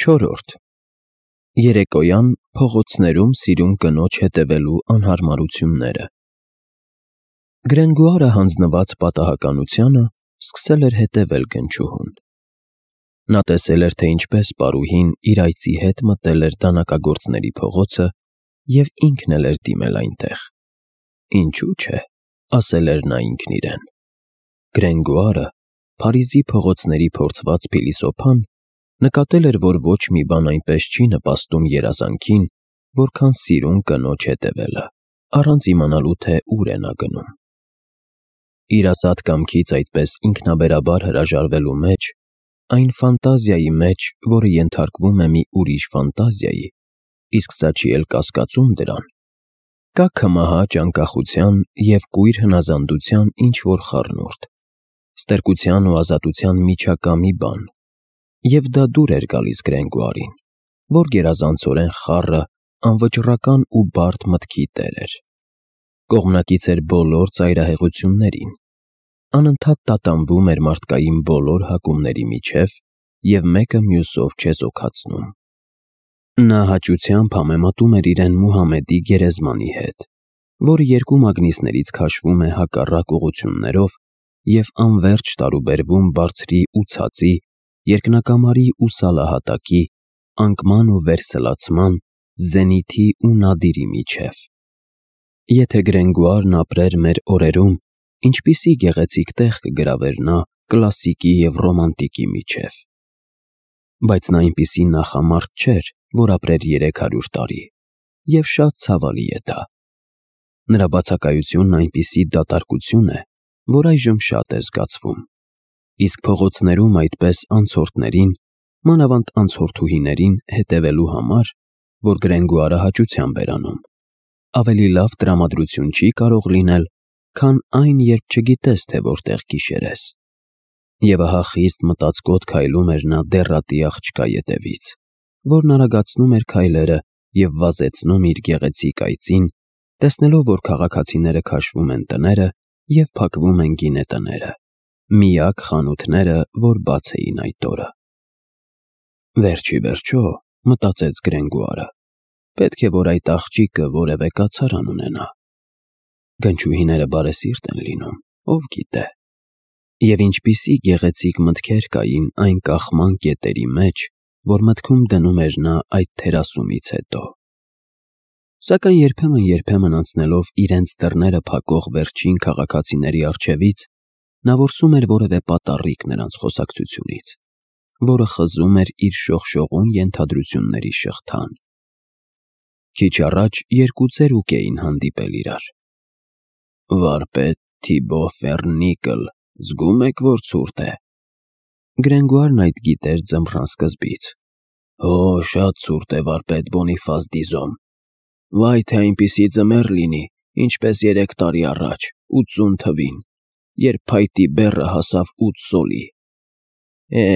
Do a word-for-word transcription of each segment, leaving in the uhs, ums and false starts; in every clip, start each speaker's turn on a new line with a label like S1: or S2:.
S1: Չորրորդ Երեկոյան փողոցներում սիրուն կնոջ հետևելու անհարմարությունները։ Գրենգոարը հանձնված պատահականությանը սկսել էր հետևել գնչուհուն։ Նա տեսել էր, թե ինչպես պարուհին իր այծի հետ մտել էր դանակագործների փողոցը և ինքն էլ էր դիմել այնտեղ։ Ինչու՞ չէ, ասել էր նա ինքն իրեն։ Գրենգոարը, Փարիզի փողոցների փորձված փիլիսոփան, նկատել էր, որ ոչ մի բան այնպես չի նպաստում երազանքին, որքան սիրուն կնոջ հետևելը, առանց իմանալու, թե ուր է նա գնում։ Իր ազատ կամքից այդպես ինքնաբերաբար հրաժարվելու մեջ, այն ֆանտազիայի մեջ, որը ենթարկվում է մի ուրիշ ֆանտազիայի, իսկ սա չի էլ կասկածում դրան, կա քմահաճ անկախության և կույր հնազանդության ինչ-որ խառնուրդ, ստրկության ու ազատության միջակա մի բան, և դա դուր էր գալիս Գրենգոարին, որ գերազանցորեն խառը, անվճռական ու բարդ մտքի տեր էր։ Կողմնակից էր բոլոր ծայրահեղություններին, անընդհատ տատանվում էր մարդկային բոլոր հակումների միջև և մեկը մյուսով չեզոքացնում։ Նա հաճությամբ համեմատում էր իրեն Մուհամեդի գերեզմանի հետ, որը երկու մագնիսներից քաշվում է հակառակ ուղղություններով և անվերջ տարուբերվում բարձրի ու ցածի, երկնակամարի ու սալահատակի, անկման ու վերսլացման, զենիթի ու նադիրի միջև։ Եթե Գրենգոարն ապրեր մեր օրերում, ինչպիսի գեղեցիկ տեղ կգրավեր նա կլասիկի և ռոմանտիկի միջև։ Բայց նա այնպիսի նախամարդ չէր, որ ապրեր երեք հարյուր տարի, և շատ ցավալի է դա։ Նրա բացակայությունն այնպիսի դատարկություն է, որ այժմ շատ է զգացվում, իսկ փողոցներում այդպես անցորդներին, մանավանդ անցորդուհիներին հետևելու համար, որ Գրենգոարը հաճությամբ էր անում, ավելի լավ տրամադրություն չի կարող լինել, քան այն, երբ չգիտես, թե որտեղ գիշերես։ Եվ ահա խիստ մտածկոտ քայլում էր նա դեռատի աղջկա ետևից, որն արագացնում էր քայլերը և վազեցնում իր գեղեցիկ այծին, տեսնելով, որ քաղաքացիները քաշվում են տները և փակվում են գինետները, միակ խանութները, որ բաց էին այդ օրը։ Վերջ ի վերջո, մտածեց Գրենգոարը, պետք է, որ այդ աղջիկը որևէ կացարան ունենա։ Գնչուհիները բարեսիրտ են լինում, ով գիտե։ Եվ ինչպիսի գեղեցիկ մտքեր կային այն կախման կետերի մեջ, որ մտքում դնում էր նա այդ թերասումից հետո։ Սակայն երբեմն-երբեմն անցնելով իրենց դռները փակող վերջին քաղաքացիների առջևից, նա որսում էր որևէ պատառիկ նրանց խոսակցությունից, որը խզում էր իր շողշողուն ենթադրությունների շղթան։ Քիչ առաջ երկու ծերուկ էին հանդիպել իրար։ «Վարպետ Թիբո Ֆեռնիկլ, զգում եք, որ ցուրտ է»։ Գրենգոարն այդ գիտեր ձմռան սկզբից։ «Հո, շատ ցուրտ է, վարպետ Բոնիֆաս Դիզոն։ Վայ, թե այնպիսի ձմեռ լինի, ինչպես երեք տարի առաջ, ութսուն թվին, երբ փայտի բեռը հասավ ութ սոլի»։ Է,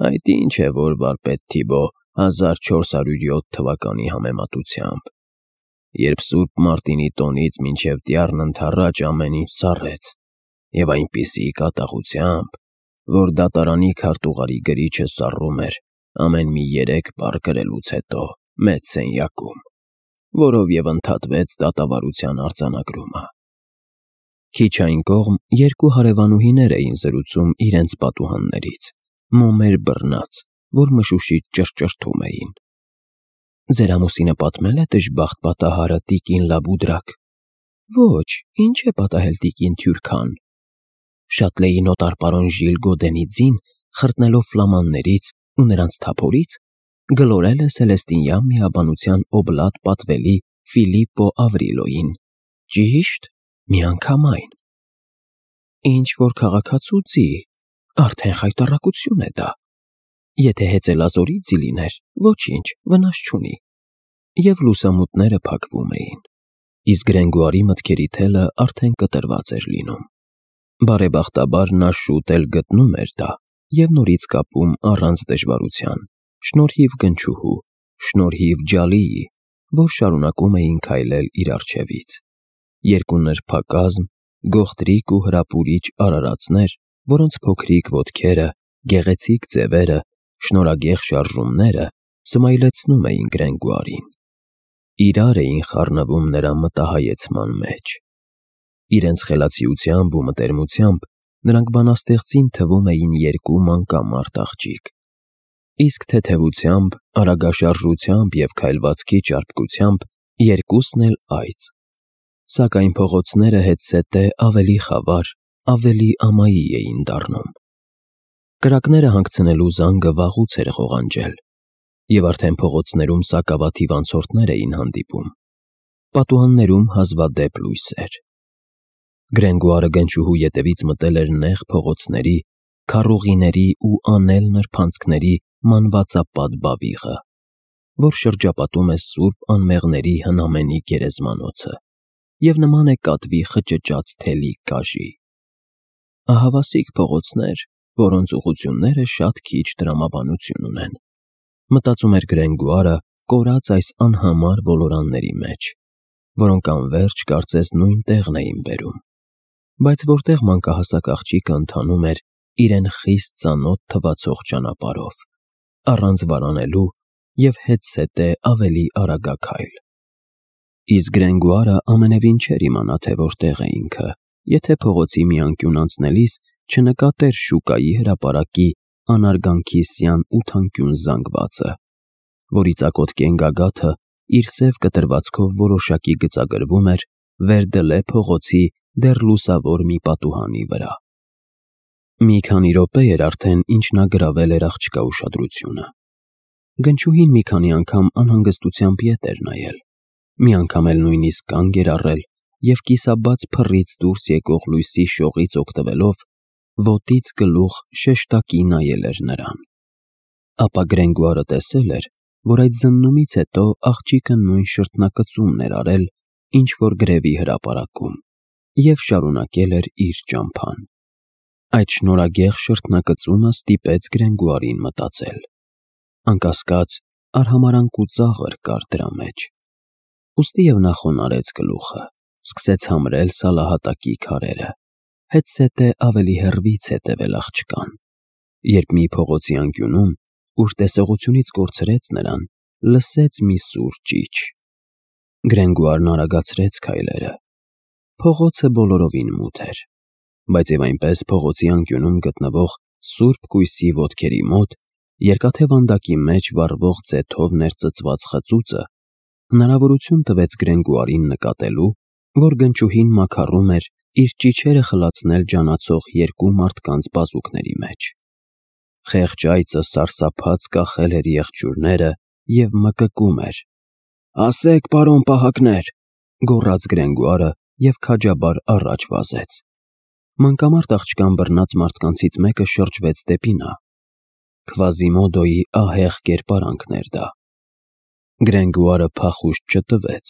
S1: այդ ինչ է, որ վարպետ Թիբո, հազար չորս հարյուր յոթ թվականի համեմատությամբ, երբ Սուրբ Մարտինի տոնից մինչև Տյառն ընդառաջ ամեն ինչ սառեց, և այնպիսի կատաղությամբ, որ դատարանի քարտուղարի գրիչը սառում էր ամեն մի երեք բառ կրելուց հետո մեծ սենյակում, որով և ընդհատվեց դատավարության արձանագրումը։ Քիչ այն կողմ երկու հարևանուհիներ էին զրուցում իրենց պատուհաններից, մոմեր բռնած, որ մշուշից ճռճռթում էին։ «Ձեր ամուսինը պատմե՞լ է դժբախտ պատահարը, տիկին Լաբուդրակ»։ «Ոչ, ինչ է պատահել, տիկին Թյուրքան»։ «Շատլեի նոտար պարոն Ժիլ Գոդենի ձին, խրտնելով ֆլամաններից ու նրանց թափորից, գլորել է Սելեստինյան միաբանության օբլատ պատվելի Ֆիլիպպո Ավրիլոյին, ճի՞շտ, միանգամայն»։ «Ինչ-որ քաղաքացու ձի, արդեն խայտառակություն է դա։ Եթե հեծելազորի ձի լիներ, ոչինչ, վնաս չունի»։ Եվ լուսամուտները փակվում էին, իսկ Գրենգոարի մտքերի թելը արդեն կտրված էր լինում։ Բարեբախտաբար նա շուտ էլ գտնում էր դա և նորից կապում առանց դժվարության, շնորհիվ գնչուհու, շնորհիվ Ջալիի, որ շարունակում էին քայլել իր առջևից։ Երկու նրբակազմ, գողտրիկ ու հրապուրիչ արարածներ, որոնց փոքրիկ ոտքերը, գեղեցիկ ձևերը շնորհագեղ շարժումները սմայլեցնում էին Գրենգուարին։ Իրար էին խառնվում նրա մտահայեցման մեջ։ Իրենց խելացիությամբ ու մտերմությամբ նրանք բանաստեղծին թվում էին երկու մանկամարդ աղջիկ, իսկ թեթևությամբ, արագաշարժությամբ և քայլվածքի ճարպկությամբ երկուսն էլ այծ, սակայն փողոցները հետզհետե ավելի խավար, ավելի ամայի էին դառնում։ Կրակները հանգցնելու զանգը վաղուց էր ղողանջել, և արդեն փողոցներում սակավաթիվ անցորդներ էին հանդիպում, պատուհաններում հազվադեպ լույսեր։ Գրենգուարը գնչուհու ետևից մտել էր նեղ փողոցների, քառուղիների ու անել նրբանցքների մանվածապատ բավիղը, որ շրջապատում է սուրբ անմեղների հնամենի գերեզմանոցը և նման է կատվի խճճած թելի կաժի։ Ահավասիկ փողոցներ, որոնց ուղղությունները շատ քիչ տրամաբանություն ունեն, մտածում էր Գրենգուարը կորած այս անհամար ոլորանների մեջ, որոնք անվերջ կարծես նույն տեղն էին բերում, բայց որտեղ մանկահասակ աղջիկը ընթանում էր իրեն խիստ ծանոթ թվացող ճանապարհով, առանց վարանելու և հետզհետե ավելի արագաքայլ։ Իսկ Գրենգուարը ամենևին չէր իմանա, թե որտեղ է ինքը, եթե փողոցի մի անկյուն անցնելիս չնկատեր շուկայի հրապարակի անարգանքիսյան ութանկյուն զանգվածը, որի ծակոտկեն գագաթը իր սև կտրվածքով որոշակի գծագրվում էր Վեր-դը-Լե փողոցի դեռ լուսավոր մի պատուհանի վրա։ Մի քանի րոպե էր արդեն, ինչ նա գրավել էր աղջկա ուշադրությունը։ Գնչուհին մի քանի անգամ անհանգստությամբ ետ էր նայել, մի անգամ էլ նույնիսկ կանգ էր առել և կիսաբաց փռից դուրս եկող լույսի շողից օգտվելով ոտից գլուխ շեշտակի նայել էր նրան։ Ապա Գրենգուարը տեսել էր, որ այդ զննումից հետո աղջիկը նույն շրթնակծումն էր արել, ինչ որ գրևի հրապարակում, և շարունակել էր իր ճամփան։ Այդ շնորհագեղ շրթնակծումը ստիպեց Գրենգուարին մտածել։ Անկասկած, արհամարհանք ու ծաղր կար դրա մեջ։ Ուստիև նա խոնարհեց գլուխը, սկսեց համրել սալահատակի քարերը, հետզհետե ավելի հեռվից հետևել աղջկան, երբ մի փողոցի անկյունում, ուր տեսողությունից կորցրեց նրան, լսեց մի սուր ճիչ։ Գրենգուարն արագացրեց քայլերը։ Փողոցը բոլորովին մութ էր, բայց և այնպես փողոցի անկյունում գտնվող սուրբ կույսի ոտքերի մոտ, երկաթե վանդակի մեջ վառվող ձեթով ներծծված խծուծը հնարավորություն տվեց Գրենգուարին նկատելու, որ Գնչուհին մաքարում էր իր ճիչերը խլացնել ջանացող երկու մարդկանց բազուկների մեջ։ Խեղճ այծը սարսափած կախել էր եղջյուրները և մկկում էր։ «Ասեք, պարոն պահակներ», գոռաց Գրենգուարը և քաջաբար առաջ վազեց։ Մանկամարդ աղջկան բռնած մարդկանցից մեկը շրջվեց դեպի նա։ Քվազիմոդոյի ահեղ կերպարանքն էր դա։ Գրենգուարը փախուստ չտվեց,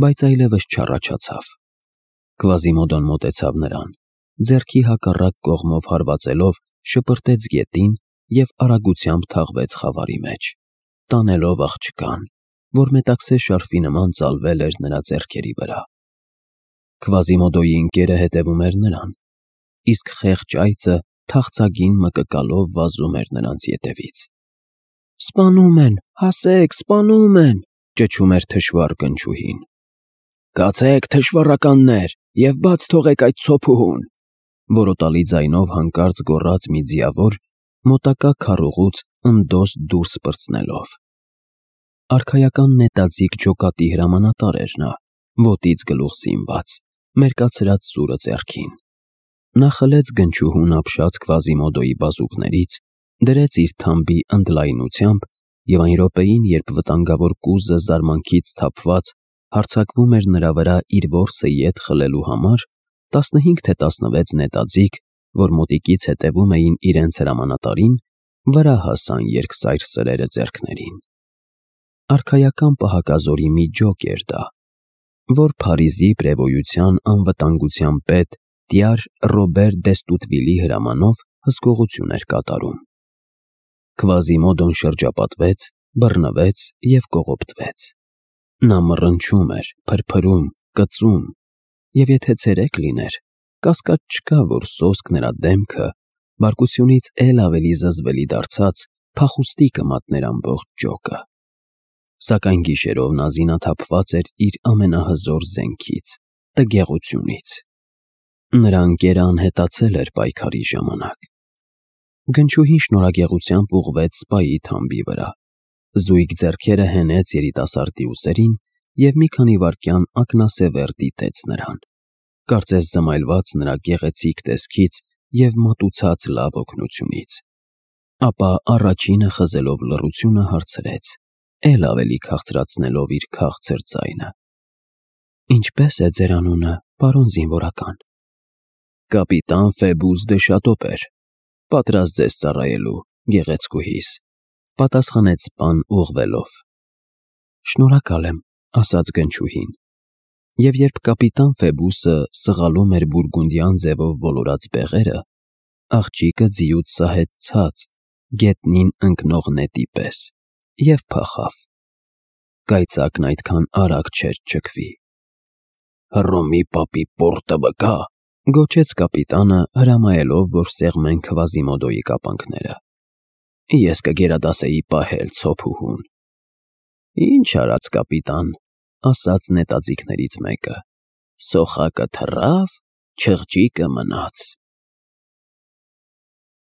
S1: բայց այլևս չառաջացավ։ Քվազիմոդոն մոտեցավ նրան, ձեռքի հակառակ կողմով հարվածելով շպրտեց գետին և արագությամբ թաղվեց խավարի մեջ, տանելով աղջկան, որ մետաքսե շարֆի նման ծալվել էր նրա ձեռքերի վրա։ Քվազիմոդոյի ընկերը հետևում էր նրան, իսկ խեղճ այծը թախծագին մկկալով վազում էր նրանց ետևից։ «Սպանում են, հասեք, սպանում են», ճչում էր թշվառ Գնչուհին։ «Կացեք, թշվառականներ, և բաց թողեք այդ ցոփուհուն», որոտալի ձայնով հանկարծ գոռաց մի ձիավոր, մոտակա քառուղուց ընդոս դուրս պրծնելով։ Արքայական նետաձիգ ջոկատի հրամանատար էր նա, ոտից գլուխ զինված, մերկացրած սուրը ձեռքին։ Նա խլեց Գնչուհուն ապշած Քվազիմոդոյի բազուկներից, դրեց իր թամբի ընդլայնությամբ և այն րոպեին, երբ վտանգավոր կուզը զարմանքից սթափված հարձակվում էր նրա վրա իր որսը ետ խլելու համար, տասնհինգ թե տասնվեց նետաձիգ, որ մոտիկից հետևում էին իրենց հրամանատարին, վրա հասան երկսայր սրերը ձեռքներին։ Արքայական պահակազորի մի ջոկ էր դա, որ Փարիզի պրևոյության անվտանգության պետ տյար Ռոբեր Դեստուտվիլի հրամանով հսկողություն էր կատարում։ Քվազիմոդոն շրջապատվեց, բռնվեց և կողոպտվեց։ Նա մռնչում էր, փրփրում, կծում, և եթե ցերեկ լիներ, կասկած չկա, որ սոսկ նրա դեմքը, բարկությունից էլ ավելի զզվելի դարձած, փախուստի կմատներ ամբողջ ջոկը։ Սակայն գիշերով նա զինաթափված էր իր ամենահզոր զենքից՝ տգեղությունից։ Նրա ընկերը անհետացել էր պայքարի ժամանակ։ Գնչուհին շնորհագեղությամբ ուղղվեց սպայի թամբի վրա, զույգ ձեռքերը հենեց երիտասարդի ուսերին և մի քանի վայրկյան ակնասևեռ դիտեց նրան, կարծես զմայլված նրա գեղեցիկ տեսքից և մատուցած լավ օգնությունից։ Ապա առաջինը խզելով լռությունը հարցրեց, էլ ավելի քաղցրացնելով իր քաղցր ձայնը. «Ինչպե՞ս է ձեր անունը, պարոն զինվորական»։ «Կապիտան Ֆեբուս դը Շատոպեր, պատրաստ ձեզ ծառայելու, գեղեցկուհիս», պատասխանեց սպան ուղղվելով։ «Շնորհակալ եմ», ասաց գնչուհին։ Եվ երբ կապիտան Ֆեբուսը սղալում էր բուրգունդյան ձևով ոլորած բեղերը, աղջիկը ձիուց սահեց ցած, գետնին ընկնող նետի պես, և փախավ։ Կայծակն այդքան արագ չէր չքվի։ «Հռոմի պապի պորտը վկա», գոչեց կապիտանը, հրամայելով, որ սեղմեն Քվազիմոդոյի կապանքները։ «Ես կգերադասեի պահել ցոփուհուն»։ «Ինչ արած, կապիտան», ասաց նետաձիգներից մեկը, «սոխակը թռավ, չղջիկը մնաց»։